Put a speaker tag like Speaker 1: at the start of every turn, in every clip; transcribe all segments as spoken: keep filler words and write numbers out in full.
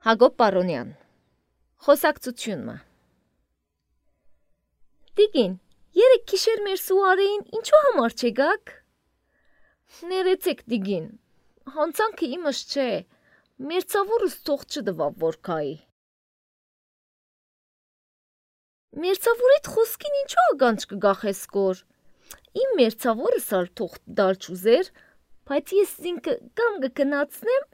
Speaker 1: Հակոբ Պարոնյան, խոսակցությունը։ Տիկին, երեկ գիշեր մեր սուարեին ինչու համար չեկաք։ Ներեցեք տիկին, հանցանքը իմս չէ, մերձավորս թող չդվավ որ քայի։ Մերձավորիդ խոսքին ինչու ականջ կգախես կոր։ Իմ մերձավորս ալ թող դալ չուզեր, բայց ես ինքը կամ կգնացնեմ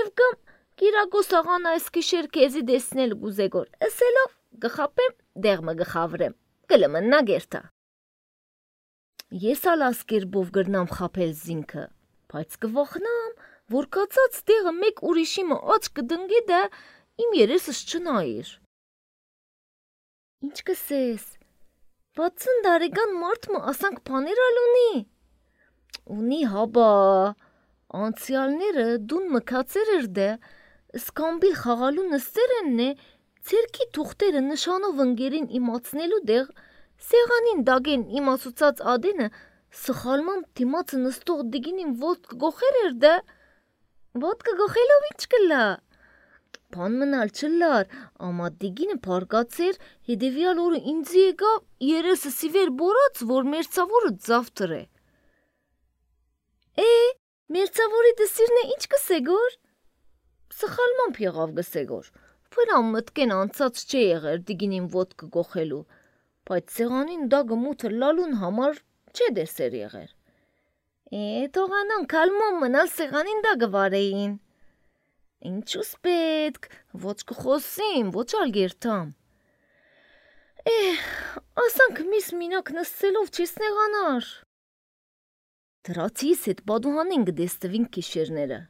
Speaker 1: եւ կամ Կիրակոս աղան այս գիշեր քեզի դեսնել գուզեգոր, ասելով գխապեմ, դեղմը գխավրեմ, կլմնա գերտա։ Ես ալ ասկերբով գրնամ խապել զինքը, բայց կվախնամ, որ կացած դեղը մեկ ուրիշի մը աչ կդնգի դա իմ երեսս չնայիր։ Ինչ կսես, վաթսուն տարեկան մարդ մը ասանք բաներ ալ ունի։ Ունի հաբա, անցյալները դուն մքացեր էր դե, սկամբիլ խաղալու նստեր են է, ցերքի թուղթերը նշանով ընկերին իմացնելու դեղ, սեղանին դագեն իմասուցած ադենը, սխալմամբ դիմացը նստող դիգինին ոտք գոխեր էր դե, ոտքը գոխելով ինչ կլա։ Բան մնալ չլար, ամա դիգինը պարկացեր, հետևյալ օրը ինձի եկավ, երեսը սիվեր բորած, որ մերձավորը ձավթր է։ Է, մերձավորի դսիրն է ինչ կսեգոր։ Սխալմամբ եղավ գսեգոր, վրամ մտքեն անցած չէ եղեր դիգինին ոտքը գոխելու, բայց սեղանին դագը մութը լալուն համար չէ դեսեր եղեր։ Է, թողանան կալմոն մնալ սեղանին դագը վարեին։ Ինչուս պետք, ոչ կխոսիմ, ոչ ալ գերտամ։ Է, ասանք միս մինակ նստելով չես նեղանար։ Դրացիս հետ բադուհանին գդեստվին կիշերները։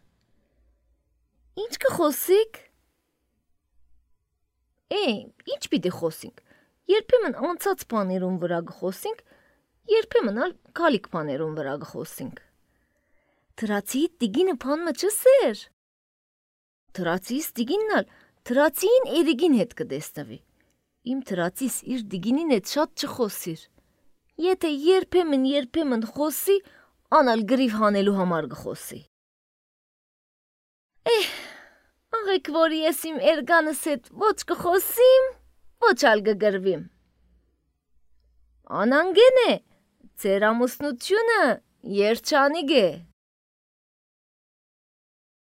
Speaker 1: Ինչ կխոսիկ։ Է, ինչ պիտի խոսինք, երբեմն անցած բաներուն վրա գխոսինք, երբեմն ալ կալիք բաներուն վրա գխոսինք։ Դրացի տիգինը բան մը չսեր։ Դրացիս տիգինն ալ դրացին երիգին հետ կդեստվի։ Իմ դրացիս իր դիգինին հետ շատ չխոսիր։ Եթե երբեմն երբեմն խոսի, անալ գրիվ հանելու համար գխոսի։ Էհ, աղեք որ ես իմ էրգանս հետ ոչ կխոսիմ, ոչ ալ գգրվիմ։ Անանգեն է, ձեր ամուսնությունը երջանիկ է։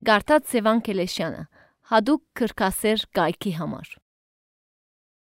Speaker 1: Գարտած Սևան Կելեշյանը, հադուկ քրքասեր կայքի համար։